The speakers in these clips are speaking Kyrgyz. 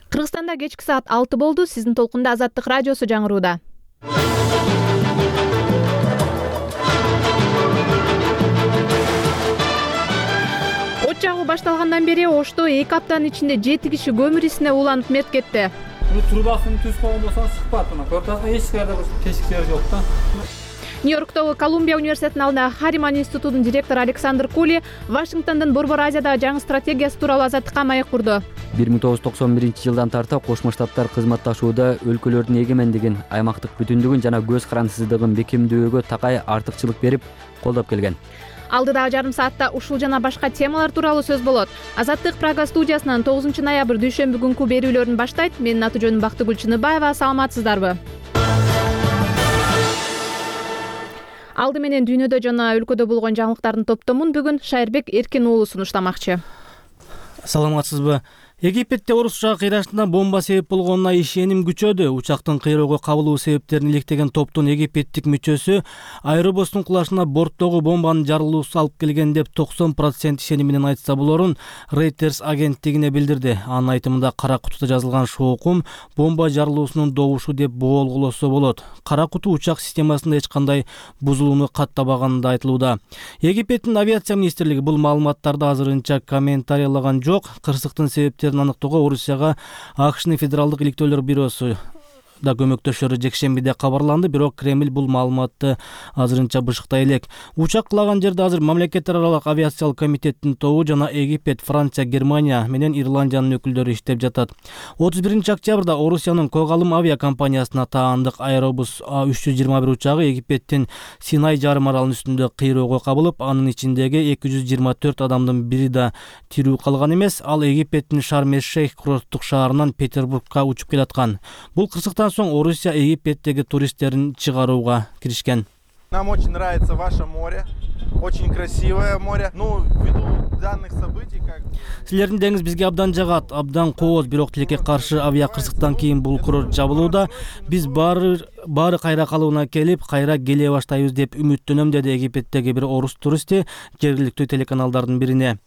Кыргызстанда кечки саат 6 болду. Сиздин толкунда Азаттык радиосу жаңырууда. От жагуу башталгандан бери Ошто 2 аптанын ичинде 7 киши көмүр исине ууланып мерт кетти. Трубасын түз койгон болсоң сыкпат, көрүп эч кайда тешиктер жок да. Нью-Йорктогу Колумбия университетинин алдында Хариман институтунун директору Александр Кули Вашингтондун Борбор Азиядагы жаңы стратегиясы тууралуу Азаттыкка маек курду. 1991 жылдан Кошмо Штаттар кызматташууда өлкөлөрдүн эгемендигин, аймактык бүтүндүгүн жана көз карандысыздыгын бекемдөөгө такай артыкчылык берип, колдоп келген. Алдыдагы жарым саатта ушул жана башка темалар тууралуу сөз болот. Азаттык Прага студиясынан 9 ноябрь дүйшөмбү күнкү берүүлөрүн баштайт. Менин аты жөнүм Бактыгүл Чыныбаева. Саламатсыздарбы? Алды менен дүйнөдө жана өлкөдө болгон жаңылыктардын топтомун бүгүн Шайырбек Эркин уулу сунуштамакчы. Саламатсызбы? Египетте орус учагы кыйрашында бомба себеп болгонуна ишеним күчөдү. Учактын кыйроого кабылуу себептерин иликтеген топтун египеттик мүчөсү аэробустун кулашына борттогу бомбанын жарылуусу алып келген деп 90% ишеним менен айтса болорун Reuters агенттигине билдирди. Анын айтымында кара кутуда жазылган шоокум бомба жарылуусунун добушу деп боолголосо болот. Кара куту учак системасында эч кандай бузулууну каттабаганы да айтылууда. Египеттин авиация министрлиги бул маалыматтарды азырынча комментарийлаган жок. Кырсыктын себептери аныктоого Орусияга АКШнын Федералдык иликтөөлөр бюросу да көмөктөшөрү жекшембиде кабарланды, бирок Кремль бул маалыматты азырынча бышыктай элек. Учак кулаган жерде азыр мамлекеттер аралык авиациялык комитеттин тобу жана Египет, Франция, Германия менен Ирландиянын өкүлдөрү иштеп жатат. 31 октябрда Орусиянын Когалым авиакомпаниясына таандык Аэробус A321 учагы Египеттин Синай жарым аралынын үстүндө кыйроого кабылып, анын ичиндеги 224 адамдын бири да тирүү калган эмес. Ал Египеттин Шарм-эль-Шейх курорттук шаарынан Петербургка учуп келаткан. Бул кырсыктан соң Орусия Египеттеги туристтерин чыгарууга киришкен. Нам очень нравится ваше море. Очень красивое море. Ввиду данных событий, как... Силердин деңиз бизге абдан жагат, абдан кооз, бирок тилекке каршы авиа кырсыктан кийин бул курорт жабылууда. Биз баары кайра калыбына келип, кайра келе баштайбыз деп үмүттөнөм, деди Египеттеги бир орус туристи жергиликтүү телеканалдардын бирине.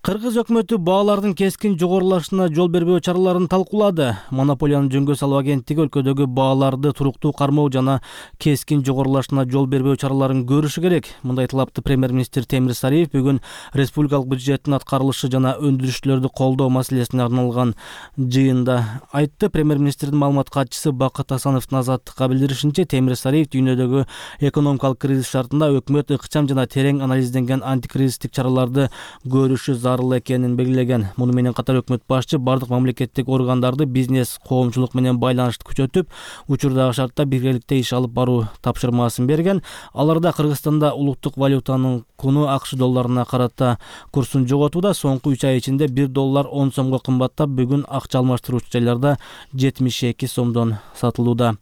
Кыргыз өкмөтү баалардын кескин жогорулашына жол бербөө чараларын талкуулады. Монополияны жөнгө салуу агенттиги өлкөдөгү бааларды туруктуу кармоо жана кескин жогорулашына жол бербөө чараларын көрүшү керек. Мындай талапты премьер-министр Темир Сариев бүгүн республикалык бюджеттин аткарылышы жана өндүрүшчүлөрдү колдоо маселесине арналган жыйында айтты. Премьер-министрдин маалымат катчысы Бакыт Асановдун Азаттыкка билдиришинче, Темир Сариев дүйнөдөгү экономикалык кризис шартында өкмөт ыкчам жана терең анализденген антикризистик чараларды көрүшү зарыл экенин белгилеген. Муну менен катар өкмөт башчы бардык мамлекеттик органдарды бизнес, коомчулук менен байланышты күчөтүп, учурдагы шартта биргеликте иш алып баруу тапшырмасын берген. Аларда Кыргызстанда улуттук валютанын куну АКШ долларына карата курсун жоготууда. Соңку 3 ай ичинде 1 доллар 10 сомго кымбаттап, бүгүн акча алмаштыруучу жайларда 72 сомдон сатылууда.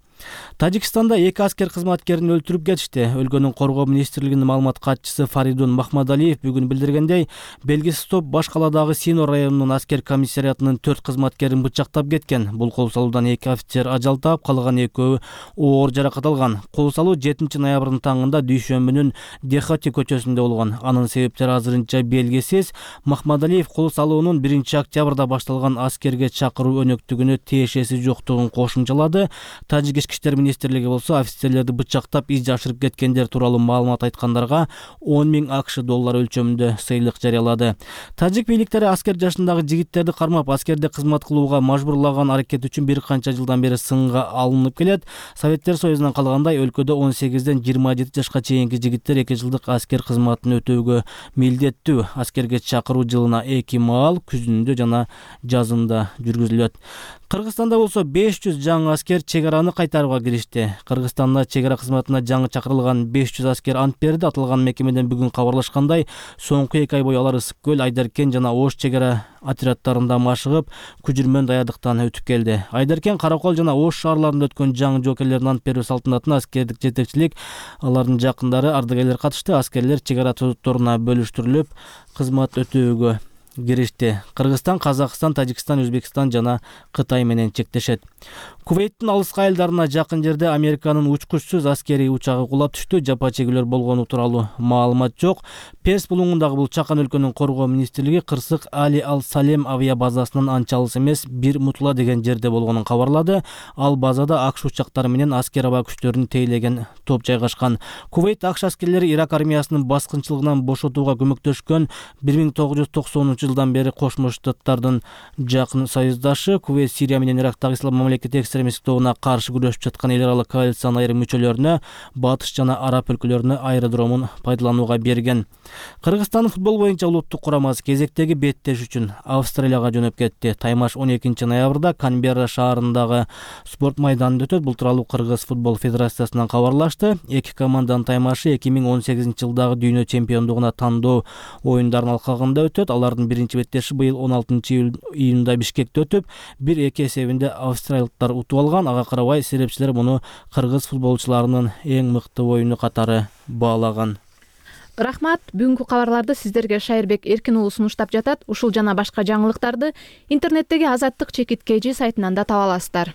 Тажикстанда 2 аскер кызматкерин өлтүрүп кетишти. Өлкөнүн коргоо министрлигинин маалымат катчысы Фаридун Махмадалиев бүгүн билдиргендей, белгисиз топ баш каладагы Сино районунун аскер комиссариатынын 4 кызматкерин бычактап кеткен. Бул кол салуудан 2 офицер ажал таап, калган 2-өө оор жаракат алган. Кол салуу 7 ноябрдын таңында дүйшөмбүнүн Дехати көчөсүндө болгон. Анын себептери азырынча белгисиз. Махмадалиев кол салуунун 1 октябрда башталган аскерге чакыруу өнөктүгүнө тиешеси жоктугун кошумчалады. Тажик Ички иштер министрлиги болсо офицерлерди бычактап из жашырып кеткендер тууралуу маалымат айткандарга 10 000 АКШ доллар өлчөмүндө сыйлык жарыялады. Тажик бийликтери аскер жашындагы жигиттерди кармап, аскерде кызмат кылууга мажбурлаган аракет үчүн бир канча жылдан бери сынга алынып келет. Советтер Союзунан калгандай өлкөдө 18ден 27 жашка чейинки жигиттер 2 жылдык аскер кызматын өтөөгө милдеттүү. Аскерге чакыруу жылына 2 маал, күзүндө жана жазында жүргүзүлөт. Кыргызстанда болсо 500 жаңы аскер чек араны кайтарууга киришти. Кыргызстанда чек ара кызматына жаңы чакырылган 500 аскер ант берди. Аталган мекемеден бүгүн кабарлашкандай, соңку 2 ай бою алар Ысык көл, Айдаркен жана Ош чек ара отряддарында машыгып, күжүрмөн даярдыктан өтүп келди. Айдаркен, Каракол жана Ош шаарларында өткөн жаңы жоокерлердин ант берүү салтанатына аскердик жетекчилик, алардын жакындары, ардагерлер катышты. Аскерлер чек ара тозотторуна бөлүштүрүлүп, кызмат өтөөгө киришти. Кыргызстан, Казакстан, Тажикстан, Өзбекстан жана Кытай менен чектешет. Кувейттин алыскы айылдарына жакын жерде Американын учкучсуз аскерий учагы кулап түштү. Жапа чегүүлөр болгону тууралуу маалымат жок. Перс булуңундагы бул чакан өлкөнүн коргоо министрлиги кырсык Али Ал-Салем авиа базасынын анча алыс эмес бир Мутла деген жерде болгонун кабарлады. Ал базада АКШ учактары менен аскер аба күчтөрүн тейлеген топ жайгашкан. Кувейт АКШ аскерлери Ирак армиясынын баскынчылыгынан бошотууга көмөктөшкөн 1990 жылдан бери Кошмо Штаттардын жакын союздашы. Кувейт Сирия менен Ирактагы ислам мамлекети экстремисттик тобуна каршы күрөшүп жаткан эл аралык коалициянын айрым мүчөлөрүнө батыш жана араб өлкөлөрүнө аэродромун пайдаланууга берген. Кыргызстандын футбол боюнча улуттук курамасы кезектеги беттеш үчүн Австралияга жөнөп кетти. Таймаш 12 ноябрда Канберра шаарындагы спорт майданында өтөт. Бул тууралуу Кыргыз футбол федерациясынан кабарлашты. Эки команданын таймашы 2018 жылдагы дүйнө чемпиондугуна тандоо оюндарынын алкагында өтөт. Алардын биринчи беттеши быйыл 16 июнда Бишкекте өтүп, 1-2 эсебинде австралиялыктар утуп алган. Ага карабай серепчилер муну кыргыз футболчуларынын эң мыкты оюну катары баалаган. Рахмат. Бүгүнкү кабарларды сиздерге Шайырбек Эркин уулу сунуштап жатат. Ушул жана башка жаңылыктарды интернеттеги Азаттык _KG сайтынан да таба аласыздар.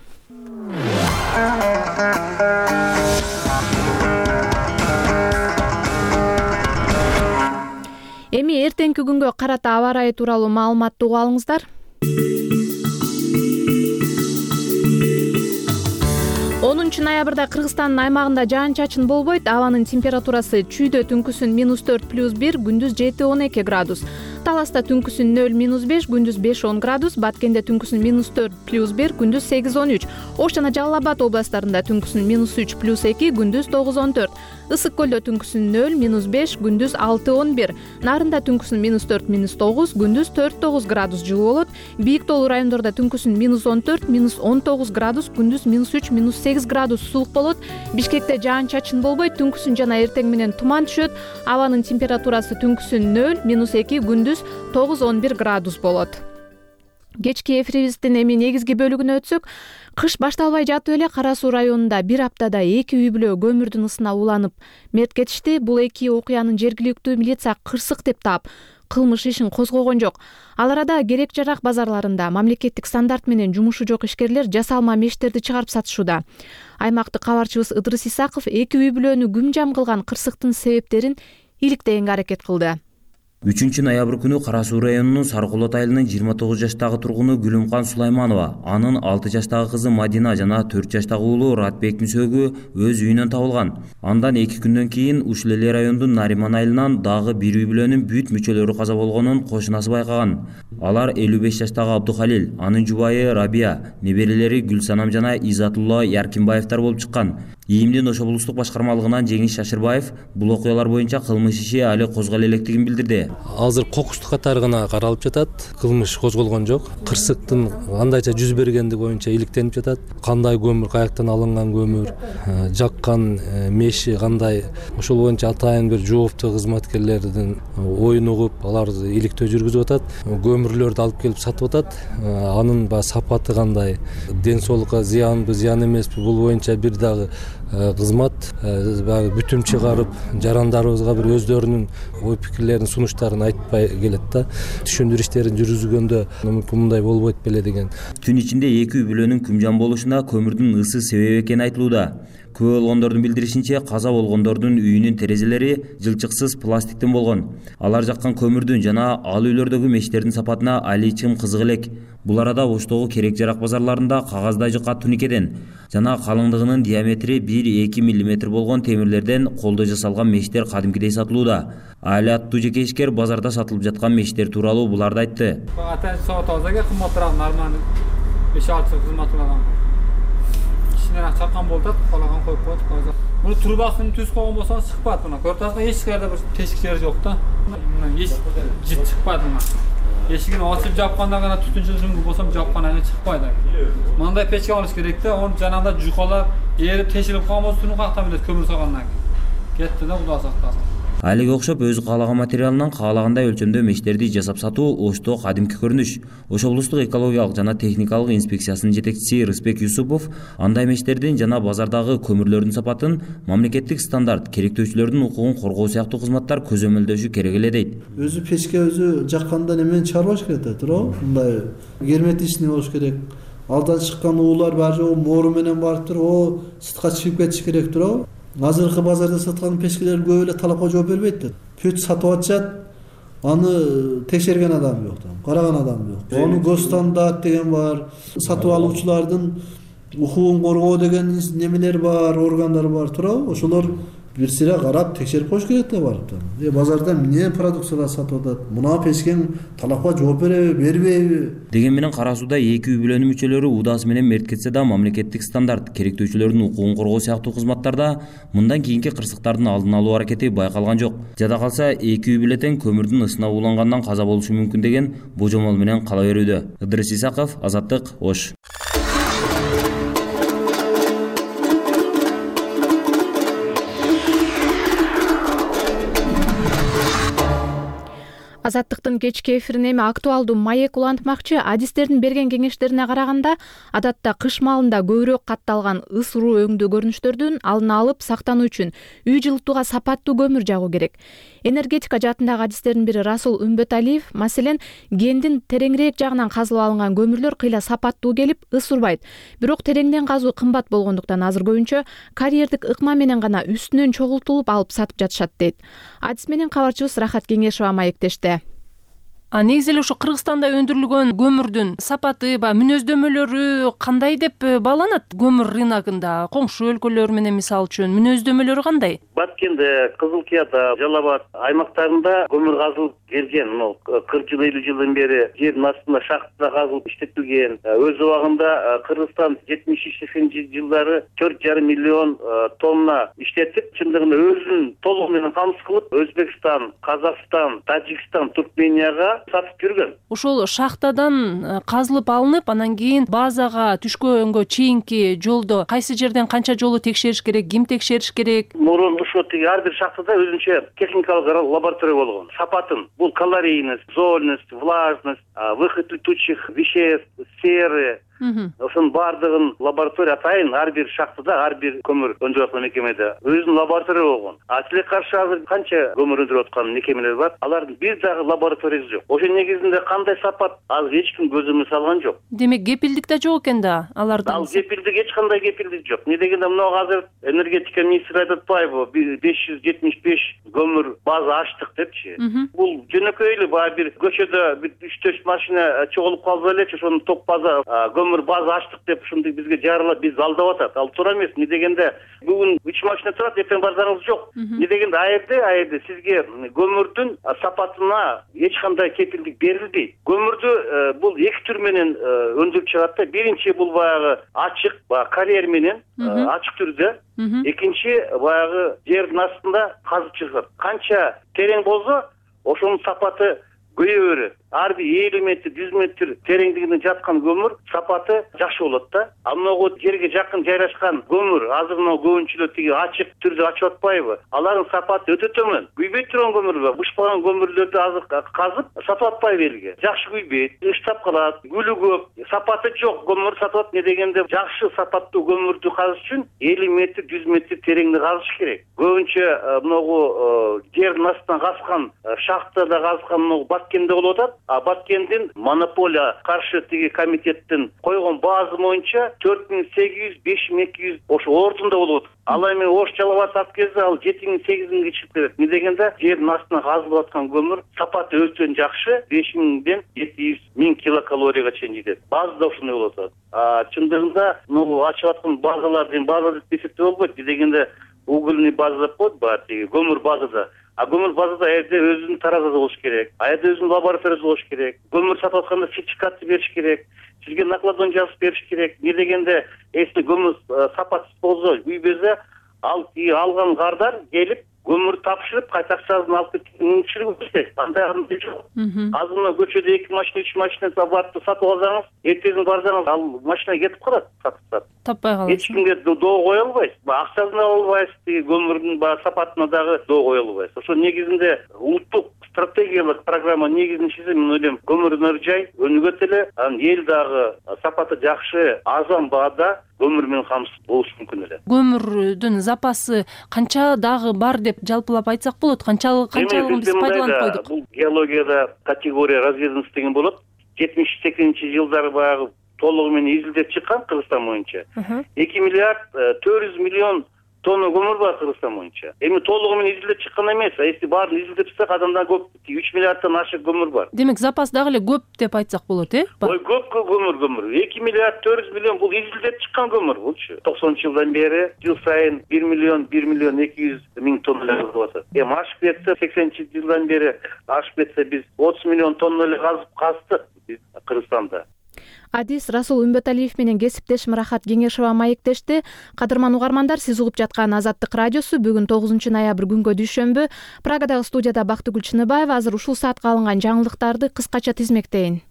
Эми эртеңки күнгө карата аба ырайы тууралуу маалыматты угуп алыңыздар. 10 ноябрда Кыргызстандын аймагында жаан-чачын болбойт. Абанын температурасы чүйдө түнкүсүн -4 + 1, күндүз 7-12 градус. Таласта түнкүсүн 0-5, күндүз 5-10 градус. Баткенде түнкүсүн -4 + 1, күндүз 8-13. Ош жана Жалал Абад областарында түнкүсүн -3 + 2, күндүз 9-14. Ысык көлдө түнкүсүн 0-5, күндүз 6-11. Нарында түнкүсүн -4 -9, күндүз 4-9 градус жылуу болот. Бийик тоолуу райондордо түнкүсүн -14 -19 градус, күндүз -3 -8 градус суук болот. Бишкекте жаан-чачын болбойт. Түнкүсүн жана эртең менен туман түшөт. Абанын температурасы түнкүсүн 0-2, күндүз 9-11 градус болот. Кечки эфирибиздин эми негизги бөлүгүнө өтсөк, кыш башталбай жатып эле Кара Суу районунда бир аптада 2 үй бүлө көмүрдүн ысына уланып мерт кетишти. Бул эки окуянын жергиликтүү милиция кырсык деп таап, кылмыш ишин козгогон жок. Ал арада керек-жарак базарларында мамлекеттик стандарт менен жумушу жок ишкерлер жасалма мештерди чыгарып сатышууда. Аймактык кабарчыбыз Ыдырыс Исаков эки үй бүлөнү күмжам кылган кырсыктын себептерин иликтегенге аракет кылды. 3 ноябрь күнү Кара Суу районунун Сарыкулот айылынын 29 жаштагы тургуну Гүлүмкан Сулайманова, анын 6 жаштагы кызы Мадина жана 4 жаштагы уулу Ратбектин сөөгү өз үйүнөн табылган. Андан 2 күндөн кийин ушул эле райондун Нариман айылынан дагы бир үй бүлөнүн бүт мүчөлөрү каза болгонун кошунасы байкаган. Алар 55 жаштагы Абдухалил, анын жубайы Рабия, неберелери Гүлсанам жана Изатулла Яркинбаевдер болуп чыккан. ИИМдин Ош облустук башкармалыгынан Жеңиш Шашырбаев бул окуялар боюнча кылмыш иши али козголо электигин билдирди. Азыр кокустук катары гана каралып жатат. Кылмыш козголгон жок. Кырсыктын кандайча жүз бергендиги боюнча иликтенип жатат. Кандай көмүр, каяктан алынган көмүр, жаккан меши кандай, ошол боюнча атайын бир жооптуу кызматкерлердин оюн угуп, аларды иликтөө жүргүзүп атат. Көмүрлөрдү алып келип сатып атат. Анын сапаты кандай, ден соолукка зыянбы, зыян эмеспи, бул боюнча бир дагы кызмат бүтүм чыгарып, жарандарыбызга бир өздөрүнүн ой пикирлерин, сунуштарын айтпай келет да. Түшүндүрүү иштерин жүргүзгөндө мүмкүн мындай болбойт беле деген. Түн ичинде эки үй бүлөнүн күмжан болушуна көмүрдүн ысы себеп экени айтылууда. Күбө болгондордун билдиришинче, каза болгондордун үйүнүн терезелери жылчыксыз пластиктен болгон. Алар жаккан көмүрдүн жана ал үйлөрдөгү мештердин сапатына али чым кызык элек. Бул арада Оштогу керек-жарак базарларында кагаздай жука туникеден жана калыңдыгынын диаметри 1-2 мм болгон темирлерден колдо жасалган мештер кадимкидей сатылууда. Али аттуу жеке ишкер базарда сатылып жаткан мештер тууралуу буларды айтты. Атан соотозага кымбатыраак нормальный 5-6 жыл кызмат кылган. Кичинерээк чаккан болот, калаган коюп коет базар. Муну турбасын түз койгон болсоң чыкпайт мына. Көрөсүңөр эч жерде бир тешик жери жок да. Мына эч жит чыкпайт мына. Эшигин ачып жапканда гана түтүнчү жүнгү болсом жапкан айы чыкпайт. Мындай печке алыш керек да, onu жанагында жукалап, эрип тешилип калган болсо түнү кактан билет көмүр салгандан кийин. Кетти да, Кудай сактасын. Айлык окшоп өзү каалаган материалынан каалагандай өлчөмдө мештерди жасап сатуу Ошто кадимки көрүнүш. Ош облустук экологиялык жана техникалык инспекциясынын жетекчиси Рыспек Юсупов андай мештердин жана базардагы көмүрлөрдүн сапатын мамлекеттик стандарт, керектөөчүлөрдүн укугун коргоо сыяктуу кызматтар көзөмөлдөшү керек эле дейт. Өзү печке өзү жакканда немени чыгарбаш керек да, туурабы? Мындай герметичный болуш керек. Алдан чыккан уулар баары жок моору менен барып туруп, сыртка чыгып кетиш керек, туурабы? Азыркы базарда саткан печкелер көп эле талапка жооп бербейт да. Пөт сатып атышат, аны текшерген адам жок да, караган адам жок. Ону госстандарт деген бар, сатып алуучулардын укугун коргоо деген немелер бар, органдар бар, туурабы? Ошолор бир сыйра карап текшерип коюш керек да барып да. Базарда эмне продукциялар сатып атат? Мына печкең талапка жооп береби, бербейби? Деген менен Кара сууда 2 үй бүлөнүн мүчөлөрү удаасы менен мерт кетсе да мамлекеттик стандарт, керектөөчүлөрдүн укугун коргоо сыяктуу кызматтарда мындан кийинки кырсыктардын алдын алуу аракети байкалган жок. Жада калса 2 үй бүлө тең көмүрдүн ысына уулангандан каза болушу мүмкүн деген божомол менен кала берүүдө. Ыдырыс Исаков, Азаттык, Ош. Азаттыктын кечки эфирин эми актуалдуу маек улантмакчы. Адистердин берген кеңештерине караганда, адатта кыш маалында көбүрөөк катталган ысыруу өңдүү көрүнүштөрдүн алдын алып сактануу үчүн үй жылытууга сапаттуу көмүр жагуу керек. Энергетика жаатындагы адистердин бири Расул Үмбөталиев, маселен, гендин тереңирээк жагынан казылып алынган көмүрлөр кыйла сапаттуу келип, ысырбайт. Бирок тереңден казуу кымбат болгондуктан азыр көбүнчө карьердик ыкма менен гана үстүнөн чогултулуп алып сатып жатышат дейт. Адис менен кабарчыбыз Рахат Кеңешова маектешти. Негизи эле ушу Кыргызстанда өндүрүлгөн көмүрдүн сапаты, мүнөздөмөлөрү кандай деп бааланат көмүр рыногунда? Коңшу өлкөлөр менен мисалы үчүн мүнөздөмөлөрү кандай? Баткенде, Кызыл Кыяда, Жалал Абад аймактарында көмүр казылып келген. 40 жыл, 50 жылдан бери жердин астында шахтада казылып иштетилген. Өз убагында Кыргызстан 70-80 жылдары 4,5 миллион тонна иштетип, чындыгында өзүн толугу менен камсыз кылып, Өзбекстан, Казакстан, Тажикстан, Туркменияга сатып жүргөн. Ошол шахтадан казылып алынып, анан кийин базага түшкөнгө чейинки жолдо кайсы жерден канча жолу текшериш керек, ким текшериш керек? Мурун ошо ар бир шахтада өзүнчө техникалык лаборатория болгон. Сапатын бул калорийность, зольность, влажность, выход летучих веществ, серы, ошонун баардыгын лаборатория атайын ар бир шахтада, ар бир көмүр өндүрүп аткан мекемеде өзүнүн лаборатория болгон. Силе каршы азыр канча көмүр өндүрүп аткан мекемелер бар, алардын бир дагы лабораториясы жок. Ошол негизинде кандай сапат азыр эч ким көзөмө салган жок. Демек кепилдик да жок экен да аларда. Ал кепилдик, эч кандай кепилдик жок. Эмне дегенде мына азыр энергетика министри айтып атпайбы, 575 көмүр база ачтык депчи. Бул жөнөкөй эле баягы бир көчөдө 3-4 машина чогулуп калса элечи ошонун топ база көмүр база ачтык деп ушундай бизге жарылап биз алдап атат. Ал туура эмес. Эмне дегенде бүгүн 3 машина турат, эртең барсаңыз жок. Эмне дегенде аерде сизге көмүрдүн сапатына эч кандай кепилдик берилбейт. Көмүрдү бул 2 түр менен өндүрүп чыгат да. Биринчи бул баягы ачык, карьер менен ачык түрдө. Экинчи баягы жердин астында казып чыгат. Канча терең болсо, ошонун сапаты көйө берет. Ар бир 50 метр, 100 метр тереңдигинде жаткан көмүр сапаты жакшы болот да. Ал могу жерге жакын жайрашкан көмүр, азыр мына көбүнчүлөр тиги ачык түрдө ачып атпайбы? Алардын сапаты өтө төмөн. Күйбөй турган көмүр бар. Бышпаган көмүрлөрдү азыр казып сатып атпайбы элге. Жакшы күйбөйт, ыштап калат, гүлү көп, сапаты жок көмүр сатып атат. Эмне дегенде жакшы сапаттуу көмүрдү казыш үчүн 50 метр, 100 метр тереңде казыш керек. Көбүнчө могу жердин астынан казкан, шахтада казкан могу Баткенде болуп атат. Баткендин монополия каршы тиги комитеттин койгон базы боюнча 4800, 5200 ошо ордунда болуп атат. Ал эми Ош Жалал Абад сатып келсе, ал 7000-8000 чыгып келет. Эмне дегенде жердин астынан казылып аткан көмүр сапаты өтө жакшы, 5000ден 7000 килокалорияга чейин жетет. Базада ошондой болуп атат. Чындыгында могу ачып аткан базалардын база деп эсептеп болбойт. Эмне дегенде угольный база деп коет бар тиги көмүр базада. Көмүр базада жерде өзүнүн таразасы болуш керек. Жерде өзүнүн лабораториясы болуш керек. Көмүр сатып атканда сертификатты бериш керек. Сизге накладон жазып бериш керек. Эмне дегенде, если көмүр сапатсыз болсо, күйбөсө, ал алган кардар келип көмүр тапшырып кайта акчасын алып кеткен мүмкүнчүлүгү андай жок. Азыр мына көчөдө 2 машина 3 машина барып сатып алсаңыз, эртең барсаңыз ал машина кетип калат, сатып. Таппай каласыз. Эч кимге доо кое албайсыз. Акчасына албайсыз, көмүрдүн сапатына дагы доо кое албайсыз. Ошо негизинде улуттук стратегиялык программа негизинчиси мен ойлойм көмүр жай өнүгөт эле, анан эл дагы сапаты жакшы, арзан баада көмүр менен камсыз болуш мүмкүн эле. Көмүрдүн запасы канча дагы бар деп жалпылап айтсак болот? Канчалыгын биз пайдаланып койдук? Бул геологияда категория разведенность деген болот. 78-жылдары баягы толугу менен изилдеп чыккан Кыргызстан боюнча. 2 миллиард 400 миллион тонна көмүр бар Кыргызстан боюнча. Эми толугу менен изилдеп чыккан эмес. Если баарын изилдеп чыксак, адамдан көп 3 миллиарддан ашык көмүр бар. Демек, запас дагы эле көп деп айтсак болот, Ой, көп көмүр. 2 миллиард 400 миллион бул изилдеп чыккан көмүр булчу. 90-жылдан бери жыл сайын 1 миллион 200 миң тонна кызып атат. Эми ашып кетсе, 80-жылдан бери ашып кетсе, биз 30 миллион тонна эле каздык биз Кыргызстанда. Адис Расул Үмбөталиев менен кесиптешим Рахат Кеңешова маектешти. Кадырман угармандар, сиз угуп жаткан Азаттык радиосу. Бүгүн 9-ноябрь күнгө дүйшөмбү. Прагадагы студияда Бактыгүл Чыныбаева. Азыр ушул саатка алынган жаңылыктарды кыскача тизмектейин.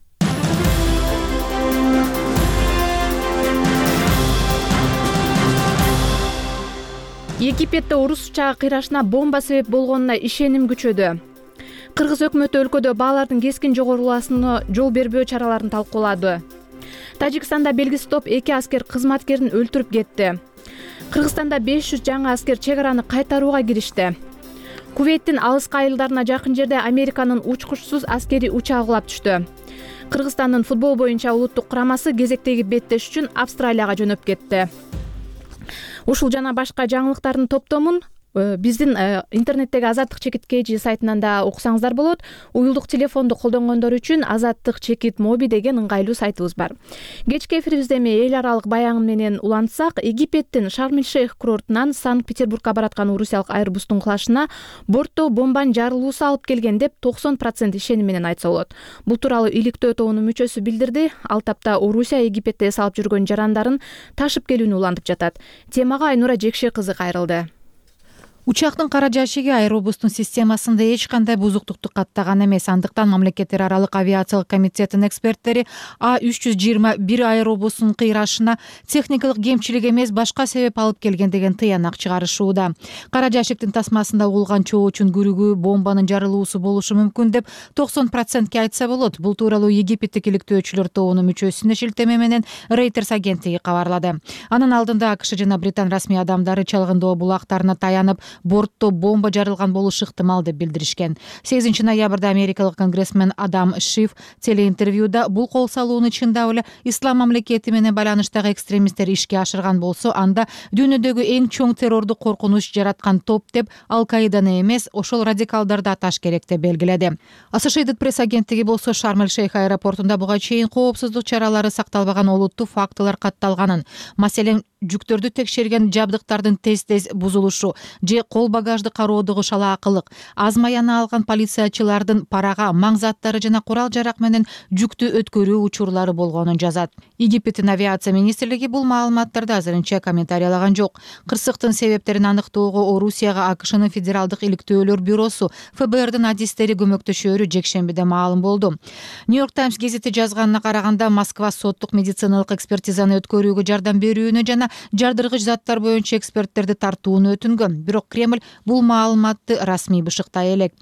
Египетте орус учагы кыйрашына бомба себеп болгонуна ишеним күчөдү. Кыргыз өкмөтү өлкөдө баалардын кескин жогоруласына жол бербөө чараларын талкуулады. Тажикстанда белгисиз топ 2 аскер кызматкерин өлтүрүп кетти. Кыргызстанда 500 жаңы аскер чек араны кайтарууга киришти. Кувейттин алыскы айылдарына жакын жерде Американын учкучсуз аскерий учагы кулап түштү. Кыргызстандын футбол боюнча улуттук курамасы кезектеги беттеш үчүн Австралияга жөнөп кетти. Ушул жана башка жаңылыктардын топтомун биздин интернеттеги Азаттык чекит KG сайтынан да окусаңыздар болот. Уюлдук телефонду колдонгондор үчүн Азаттык чекит моби деген ыңгайлуу сайтыбыз бар. Кечки эфирибизде эми эл аралык баягым менен улантсак, Египеттин Шарм-эль-Шейх курортунан Санкт-Петербургга бараткан орусиялык Airbus'тун кулашына бортто бомбанын жарылуусу алып келген деп 90% ишеним менен айтса болот. Бул тууралуу иликтөө тобунун мүчөсү билдирди. Ал тапта Орусия Египетте эс алып жүргөн жарандарын ташып келүүнү улантып жатат. Темага Айнура Жекше кызы кайрылды. Учактын кара жашиги Airbus'тун системасында эч кандай бузуктукту каттаган эмес. Андыктан мамлекеттер аралык авиациялык комитеттин эксперттери A321 Airbus'тун кыйрашына техникалык кемчилик эмес, башка себеп алып келген деген тыянак чыгарышууда. Кара жашиктин тасмасында угулган чоочун күрүгү бомбанын жарылуусу болушу мүмкүн деп 90% айтса болот. Бул тууралуу Египеттик иликтөөчүлөр тобунун мүчөсүнө шилтеме менен Reuters агенттиги кабарлады. Анын алдында АКШ жана Британ расмий адамдары чалгындоо булактарына таянып, бортто бомба жарылган болушу ыктымал деп билдиришкен. 8-ноябрда америкалык конгрессмен Адам Шиф телеинтервьюда бул кол салууну чындап эле ислам мамлекети менен байланыштагы экстремисттер ишке ашырган болсо, анда дүйнөдөгү эң чоң террордук коркунуч жараткан топ деп Ал-Каиданы эмес, ошол радикалдарды аташ керек деп белгиледи. Associated Press агенттиги болсо Шарм-эль-Шейх аэропортунда буга чейин коопсуздук чаралары сакталбаган олуттуу фактылар катталганын, маселен жүктөрдү текшерген жабдыктардын тез-тез бузулушу же кол багажды кароодогу шалаакылык, аз маяны алган полициячылардын парага, маң заттары жана курал-жарак менен жүктү өткөрүү учурлары болгонун жазат. Египеттин авиация министрлиги бул маалыматтарды азырынча комментарийлаган жок. Кырсыктын себептерин аныктоого Орусияга АКШнын федералдык иликтөөлөр бюросу ФБРдын адистери көмөктөшөөрү жекшембиде маалым болду. New York Times гезити жазганына караганда, Москва соттук медициналык экспертизаны өткөрүүгө жардам берүүнү жана жардыргыч заттар боюнча эксперттерди тартууну өтүнгөн. Бирок Кремль бул маалыматты расмий бышыктай элек.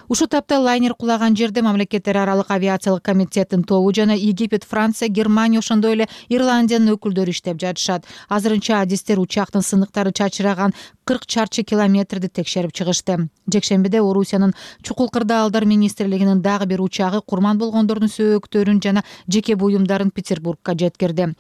Ушул тапта лайнер кулаган жерде мамлекеттер аралык авиациялык комитеттин тобу жана Египет, Франция, Германия, ошондой эле Ирландиянын өкүлдөрү иштеп жатышат. Азырынча адистер учактын сыныктары чачыраган 40 чарчы километрди текшерип чыгышты. Жекшембиде Орусиянын чукул кырдаалдар министрлигинин дагы бир учагы курман болгондордун сөөктөрүн жана жеке буюмдарын Петербургга жеткирди.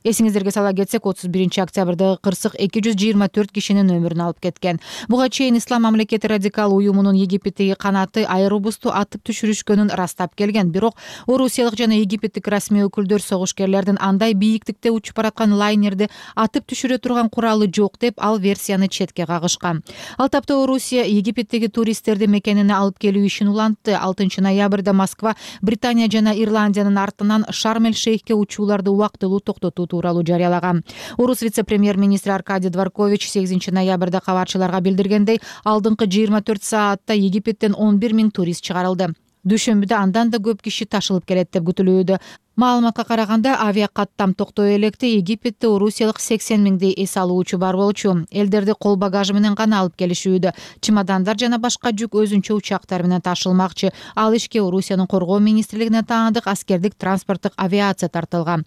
Эсиңиздерге сала кетсек, 31-октябрдагы кырсык 224 кишинин өмүрүн алып кеткен. Буга чейин Ислам мамлекети радикал уюмунун Египеттеги канаты Airbus'ту атып түшүрүшкөнүн ырастап келген. Бирок орусиялык жана египеттик расмий өкүлдөр согушкерлердин андай бийиктикте учуп бараткан лайнерди атып түшүрө турган куралы жок деп ал версияны четке четке кагышкан. Ал тапта Орусия Египеттеги туристтерди мекенине алып келүү ишин улантты. 6 ноябрда Москва Британия жана Ирландиянын артынан Шарм-эль-Шейхке учууларды убактылуу токтотуу тууралуу жарыялаган. Орус вице-премьер-министри Аркадий Дворкович 8 ноябрда кабарчыларга билдиргендей, алдыңкы 24 саатта Египеттен 11 000 турист чыгарылды. Дүйшөмбүдө андан да көп киши ташылып келет деп күтүлүүдө. Маалыматка караганда, авиа каттам токтой электе Египетте орусиялык 80 000 эс алуучу бар болчу. Элдерди кол багажы менен гана алып келишүүдө. Чемодандар жана башка жүк өзүнчө учактар менен ташылмакчы. Ал ишке Орусиянын коргоо министрлигине таандык аскердик транспорттук авиация тартылган.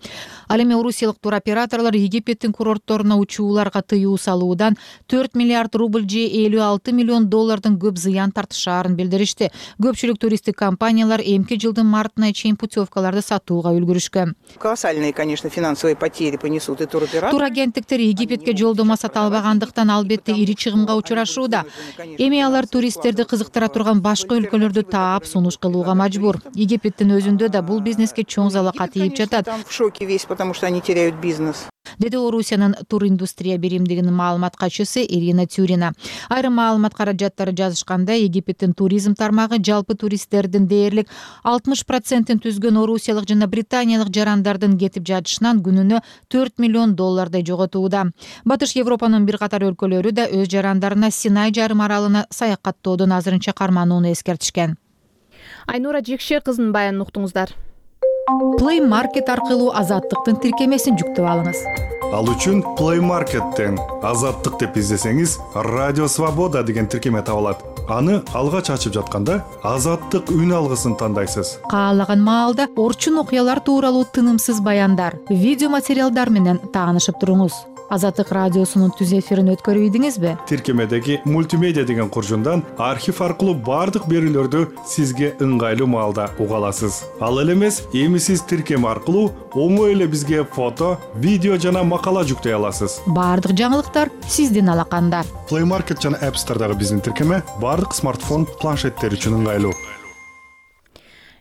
Ал эми орусиялык туроператорлор Египеттин курортторуна учууларга тыюу салуудан 4 миллиард рубль же 56 миллион доллардын көп зыян тартышаарын билдиришти. Көпчүлүк туристтик компаниялар эмки жылдын мартына чейин путевкаларды сатууга үлгүрүшкөн. Колоссальные, конечно, финансовые потери понесут и туроператоры. Турагенттиктер Египетке жолдомо сата албагандыктан албетте ири чыгымга учурашууда. Эми алар туристтерди кызыктыра турган башка өлкөлөрдү таап сунуш кылууга мажбур. Египеттин өзүндө да бул бизнеске чоң залака тийип жатат. Там в шоке весь, потому что они теряют бизнес. Деди Орусиянын туриндустрия биримдигинин маалымат катчысы Ирина Тюрина. Айрым маалымат каражаттары жазышкандай, Египеттин туризм тармагы жалпы туристтердин дээрлик 60%-ин түзгөн орусиялык жана британиялык жарандардын кетип жатышынан күнүнө 4 миллион доллардай жоготууда. Батыш Европанын бир катар өлкөлөрү да өз жарандарына Синай жарым аралына саякаттоодон азырынча карманууну эскертишкен. Айнура Жекшер кызынын баянын уктуңуздар. Play Market аркылуу азаттыктын тиркемесин жүктөп алыңыз. Ал үчүн Play Market'тен азаттык деп издесеңиз, Радио Свобода деген тиркеме табылат. Аны алгач ачып жатканда азаттык үн алгысын тандайсыз. Каалаган маалда орчун окуялар тууралуу тынымсыз баяндар, видео материалдар менен таанышып туруңуз. Азаттык радиосунун түз эфирин өткөрүп ийдиңизби? Тиркемедеги мультимедиа деген куржундан архив аркылуу бардык берүүлөрдү сизге ыңгайлуу маалда уга аласыз. Ал эле эмес, эми сиз тиркеме аркылуу оңой эле бизге фото, видео жана макала жүктөй аласыз. Бардык жаңылыктар сиздин алаканда. Play Market жана App Store'дагы биздин тиркеме бардык смартфон, планшеттер үчүн ыңгайлуу.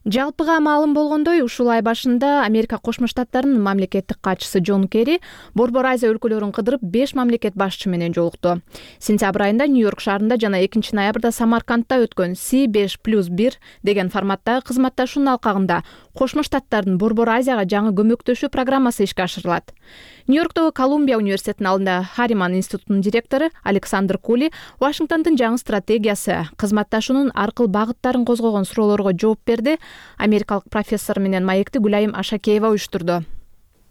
Жалпыга маалым болгондой, ушул ай башында Америка Кошмо Штаттарынын мамлекеттик катчысы Джон Керри Борбор Азия өлкөлөрүн кыдырып 5 мамлекет башчысы менен жолукту. Сентябрь айында Нью-Йорк шаарында жана 2 ноябрда Самаркандта өткөн C5+1 деген форматтагы кызматташуунун алкагында Кошмо Штаттардын Борбор Азияга жаңы көмөктөшүү программасы ишке ашырылат. Нью-Йорктогу Колумбия университетинин алдында Хариман институтунун директору Александр Кули Вашингтондун жаңы стратегиясы кызматташуунун аркыл багыттарын козгогон суроолорго жооп берди. Америкалык профессор менен маекти Гүлайым Ашакеева уюштурду.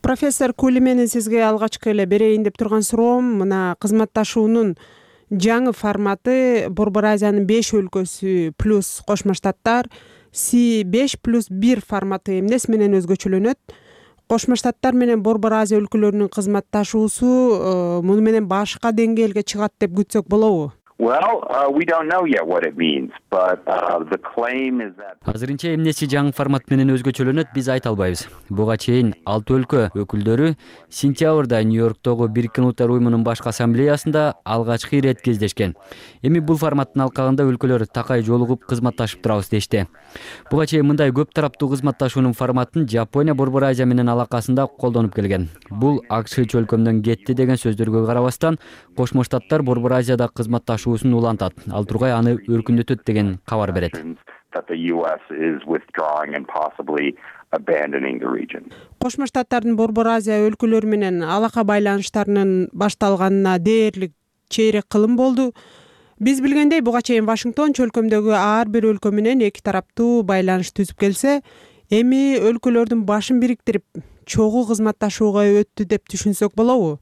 Профессор Кули, менен сизге алгачкы эле берейин деп турган суроом, мына кызматташуунун жаңы форматы Борбор Азиянын 5 өлкөсү плюс Кошмо Штаттар C5+1 форматы эмнеси менен өзгөчөлөнөт? Кошмо Штаттар менен Борбор Азия өлкөлөрүнүн кызматташуусу муну менен башка деңгээлге чыгат деп күтсөк болобу? We don't know yet what it means, but the claim is that Азырынча эмнеси жаңы формат менен өзгөчөлөнөт биз айта албайбыз. Буга чейин 6 өлкө өкүлдөрү сентябрда Нью-Йорктогу Бириккен Улуттар уюмунун башкы ассамблеясында алгачкы ирет кездешкен. Эми бул форматтын алкагында өлкөлөр такай жолугуп кызматташып турабыз дешти. Буга чейин мындай көп тараптуу кызматташуунун форматын Жапония Борбор Азия менен алакасында колдонуп келген. Бул акш чөлкөмдөн кетти деген сөздөргө карабастан, Кошмо Штаттар Борбор Азияда кызматташуусун улантат. Ал тургай аны өркүндөтөт деген кабар берет. Кошмо Штаттардын Борбор Азия өлкөлөрү менен алака байланыштарынын башталганына дээрлик чейрек кылым болду. Биз билгендей, буга чейин Вашингтон чөлкөмдөгү ар бир өлкө менен эки тараптуу байланыш түзүп келсе, эми өлкөлөрдүн башын бириктирип чогуу кызматташууга өттү деп түшүнсөк болобу?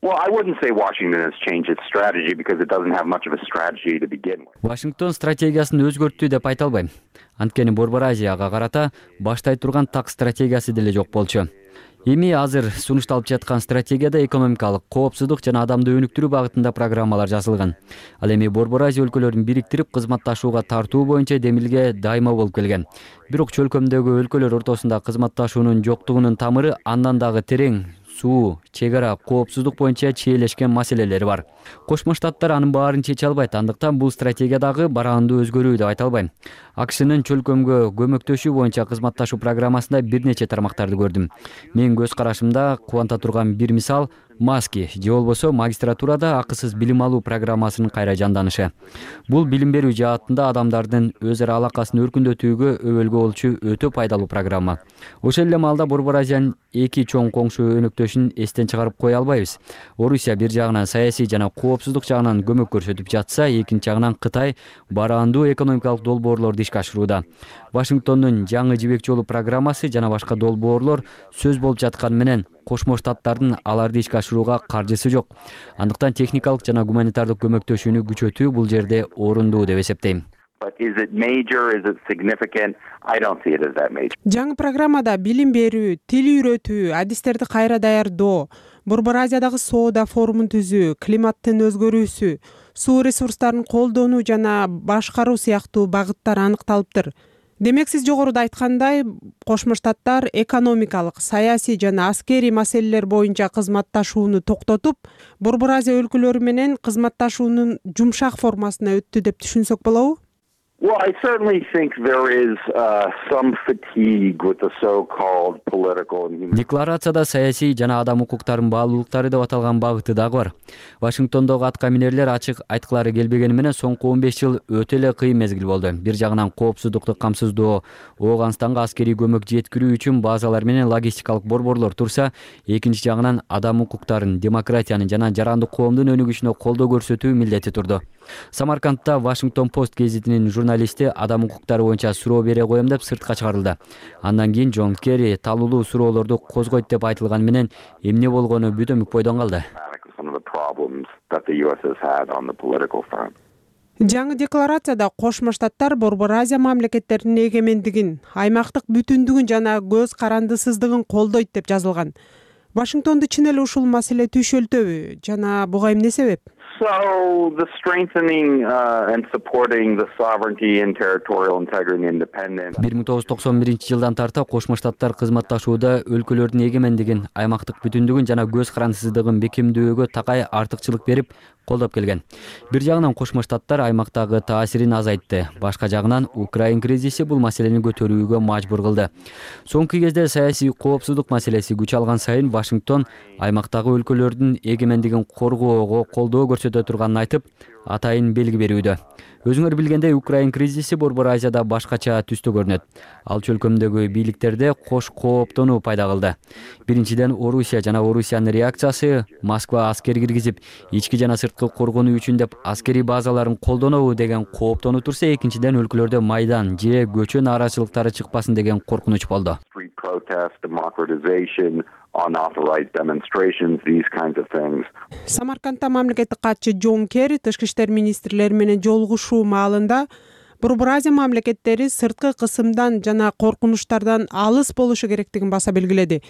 Well, I wouldn't say Washington has changed its strategy because it doesn't have much of a strategy to begin with. Вашингтон стратегиясын өзгөрттү деп айта албайм. Анткени Борбор Азияга карата баштай турган так стратегиясы деле жок болчу. Эми азыр сунушталып жаткан стратегияда экономикалык коопсуздук жана адамды өнүктүрүү багытында программалар жазылган. Ал эми Борбор Азия өлкөлөрүн бириктирип кызматташууга тартуу боюнча демилге дайыма болуп келген. Бирок чөлкөмдөгү өлкөлөр ортосунда кызматташуунун жоктугунун тамыры андан дагы терең, суу, чек ара, коопсуздук боюнча чиелешкен маселелери бар. Кошмо Штаттар анын баарын чече албайт, андыктан бул стратегиядагы бараандуу өзгөрүү деп айта албайм. АКШнын чөлкөмгө көмөктөшүү боюнча кызматташуу программасында бир нече тармактарды көрдүм. Менин көз карашымда кубанта турган бир мисал маски же болбосо магистратурада акысыз билим алуу программасынын кайра жанданышы. Бул билим берүү жаатында адамдардын өз ара алакасын өркүндөтүүгө өбөлгө болчу өтө пайдалуу программа. Ошол эле маалда Борбор Азиянын эки чоң коңшу өнөктөшүн эстен чыгарып кое албайбыз. Орусия бир жагынан саясий жана коопсуздук жагынан көмөк көрсөтүп жатса, экинчи жагынан Кытай бараандуу экономикалык долбоорлорду ишке ашырууда. Вашингтондун жаңы жибек жолу программасы жана башка долбоорлор сөз болуп жатканы менен Кошмо Штаттардын аларды ишке ашырууга каржысы жок. Андыктан техникалык жана гуманитардык көмөктөшүүнү күчөтүү бул жерде орундуу деп эсептейм. Жаңы программада билим берүү, тил үйрөтүү, адистерди кайра даярдоо, Борбор Азиядагы соода форумун түзүү, климаттын өзгөрүүсү, суу ресурстарын колдонуу жана башкаруу сыяктуу багыттар аныкталыптыр. Демек сиз жогоруда айткандай, Кошмо Штаттар экономикалык, саясий жана аскерий маселелер боюнча кызматташууну токтотуп, Борбор Азия өлкөлөрү менен кызматташуунун жумшак формасына өттү деп түшүнсөк болобу? Well, I certainly think there is some fatigue with the so-called political and human. Декларацияда саясий жана адам укуктарынын баалуулуктары деп аталган багыты дагы бар. Вашингтондогу атка минерлер ачык айткылары келбегени менен соңку 15 жыл өтө эле кыйын мезгил болду. Бир жагынан коопсуздукту камсыздоо, Ооганстанга аскерий көмөк жеткирүү үчүн базалар менен логистикалык борборлор турса, экинчи жагынан адам укуктарын, демократиянын жана жарандык коомдун өнүгүшүнө колдоо көрсөтүү милдети турду. Самаркандта Вашингтон Пост гезитинин журналисти адам укуктары боюнча суроо бере коем деп сыртка чыгарылды. Андан кийин Джон Керри талуулуу суроолорду козгойт деп айтылганы менен эмне болгону бүтөмүк бойдон калды. Жаңы декларацияда Кошмо Штаттар Борбор Азия мамлекеттеринин эгемендигин, аймактык бүтүндүгүн жана көз карандысыздыгын колдойт деп жазылган. Вашингтонду чын эле ушул маселе түйшөлтөбү жана буга эмне себеп? So the strengthening and supporting the sovereignty and territorial integrity and independence. 1991-жылдан тарта Кошмо Штаттар кызматташууда өлкөлөрдүн эгемендигин, аймактык бүтүндүгүн жана көз карандысыздыгын бекемдөөгө такай артыкчылык берип колдоп келген. Бир жагынан Кошмо Штаттар аймактагы таасирин азайтты. Башка жагынан Украин кризиси бул маселени көтөрүүгө мажбур кылды. Соңку кезде саясий коопсуздук маселеси күч алган сайын Вашингтон аймактагы өлкөлөрдүн эгемендигин коргоого колдоо көрсөтө турганын айтып, атайын белги берүүдө. Өзүңөр билгендей, Украин кризиси Борбор Азияда башкача түстө көрүнөт. Ал чөлкөмдөгү бийликтерде кош кооптонуу пайда кылды. Биринчиден, Орусия жана Орусиянын реакциясы Москва аскер киргизип, ички жана сырткы коргонуу үчүн деп аскерий базаларын колдонобу деген кооптонуу турса, экинчиден өлкөлөрдө майдан же көчө нааразычылыктары чыкпасын деген коркунуч болду. Unauthorized demonstrations, these kinds of things. Самаркандта мамлекеттик катчы Джон Керри тышкы иштер министрлери менен жолугушуу маалында Борбор Азия мамлекеттери сырткы кысымдан жана коркунучтардан алыс болушу керектигин баса белгиледи.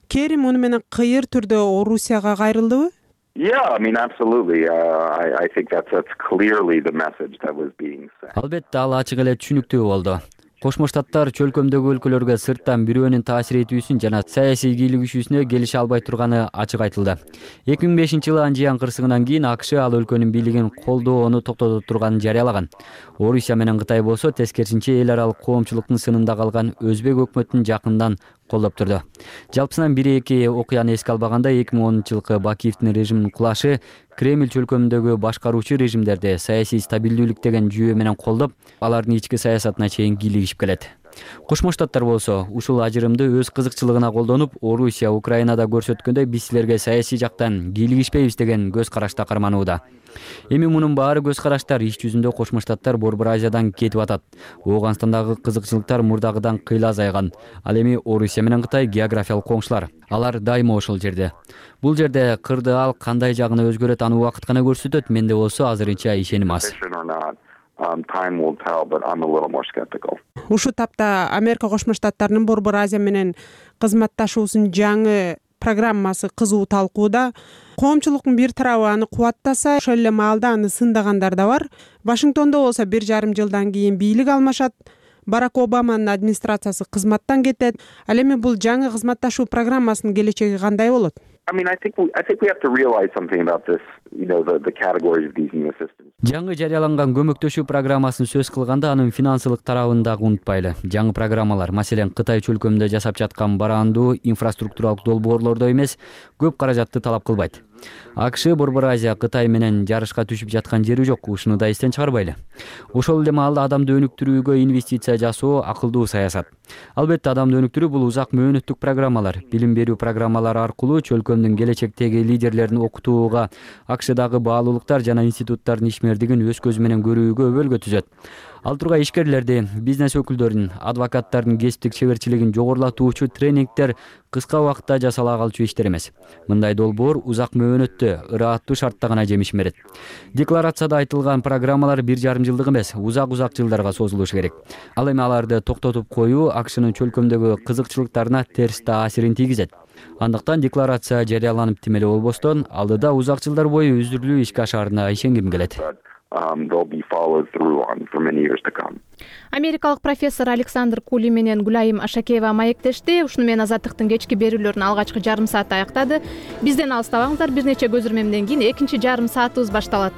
Керри муну менен кыйыр түрдө Орусияга кайрылдыбы? Yeah, I mean, absolutely. I think that's clearly the message that was being sent. Албетте, ал ачык эле түшүнүктүү болду. Кошмо Штаттар чөлкөмдөгү өлкөлөргө сырттан бирөөнүн таасир этүүсүн жана саясий кийлигишүүсүнө келише албай турганы ачык айтылды. 2005-жылы Анжиян кырсыгынан кийин АКШ ал өлкөнүн бийлигин колдоону токтото турганын жарыялаган. Орусия менен Кытай болсо тескерисинче эл аралык коомчулуктун сынында калган өзбек өкмөтүн жакындан колдоп турду. Жалпысынан 1-2 окуяны эске албаганда 2010-жылкы Бакиевдин режиминин кулашы Кремль чөлкөмүндөгү башкаруучу режимдерди саясий стабилдүүлүк деген жүйө менен колдоп, алардын ички саясатына чейин кийлигишип келет. Кошмо Штаттар болсо ушул ажырымды өз кызыкчылыгына колдонуп, Орусия Украинада көрсөткөндөй биз силерге саясий жактан кийлигишпейбиз деген көз карашта карманууда. Эми мунун баары көз караштар иш жүзүндө Кошмо Штаттар Борбор Азиядан кетип атат. Ооганстандагы кызыкчылыктар мурдагыдан кыйла азайган. Ал эми Орусия менен Кытай географиялык коңшулар. Алар дайыма ошол жерде. Бул жерде кырды ал кандай жагына өзгөрөт, аны убакыт гана көрсөтөт. Менде болсо азырынча ишеним аз. Time will tell, but I'm a little more skeptical. Ушу тапта Америка Кошмо Штаттарынын Борбор Азия менен кызматташуусунун жаңы программасы кызуу талкууда. Коомчулуктун бир тарабы аны кубаттаса, ошол эле маалда аны сындагандар да бар. Вашингтондо болсо 1,5 жылдан кийин бийлик алмашат. Барак Обаманын администрациясы кызматтан кетет. Ал эми бул жаңы кызматташуу программасынын келечеги кандай болот? I mean, I think we have to realize something about this, the categories of these new assistance. Жаңы жарыяланган көмөктөшүү программасын сөз кылганда анын финансылык тарабын дагы унутпайлы. Жаңы программалар, маселен, Кытай чөлкөмүндө жасап жаткан бараандуу инфраструктуралык долбоорлордо эмес, көп каражатты талап кылбайт. АКШ Борбор Азия Кытай менен жарышка түшүп жаткан жери жок, ушуну да эстен чыгарбайлы. Ошол эле маалда адамды өнүктүрүүгө инвестиция жасоо акылдуу саясат. Албетте адамды өнүктүрүү бул узак мөөнөттүк программалар. Билим берүү программалары аркылуу чөлкөмдүн келечектеги лидерлерин окутууга, АКШдагы баалуулуктар жана институттардын ишмердигин өз көзү менен көрүүгө өбөлгө түзөт. Ал тургай ишкерлерди, бизнес өкүлдөрүн, адвокаттардын кесиптик чеберчилигин жогорулатуучу тренингдер кыска убакытта жасала калчу иштер эмес. Мындай долбоор узак мөөнөттө, ырааттуу шартта гана жемиш берет. Декларацияда айтылган программалар 1,5 жылдык эмес, узак жылдарга созулушу керек. Ал эми аларды токтотуп коюу АКШнын чөлкөмдөгү кызыкчылыктарына терс таасирин тийгизет. Андыктан декларация жарыяланып тим эле болбостон, алдыда узак жылдар бою үзүрүлүү ишке ашаарына ишенгим келет. They'll be followed through on for many years to come. Америкалык профессор Александр Кули менен Гүлайым Ашакеева маектешти. Ушуну менен Азаттыктын кечки берүүлөрүн алгачкы жарым саат аяктады. Бизден алыстабаңыздар, бир нече көзүрмемден кийин экинчи жарым саатыбыз башталат.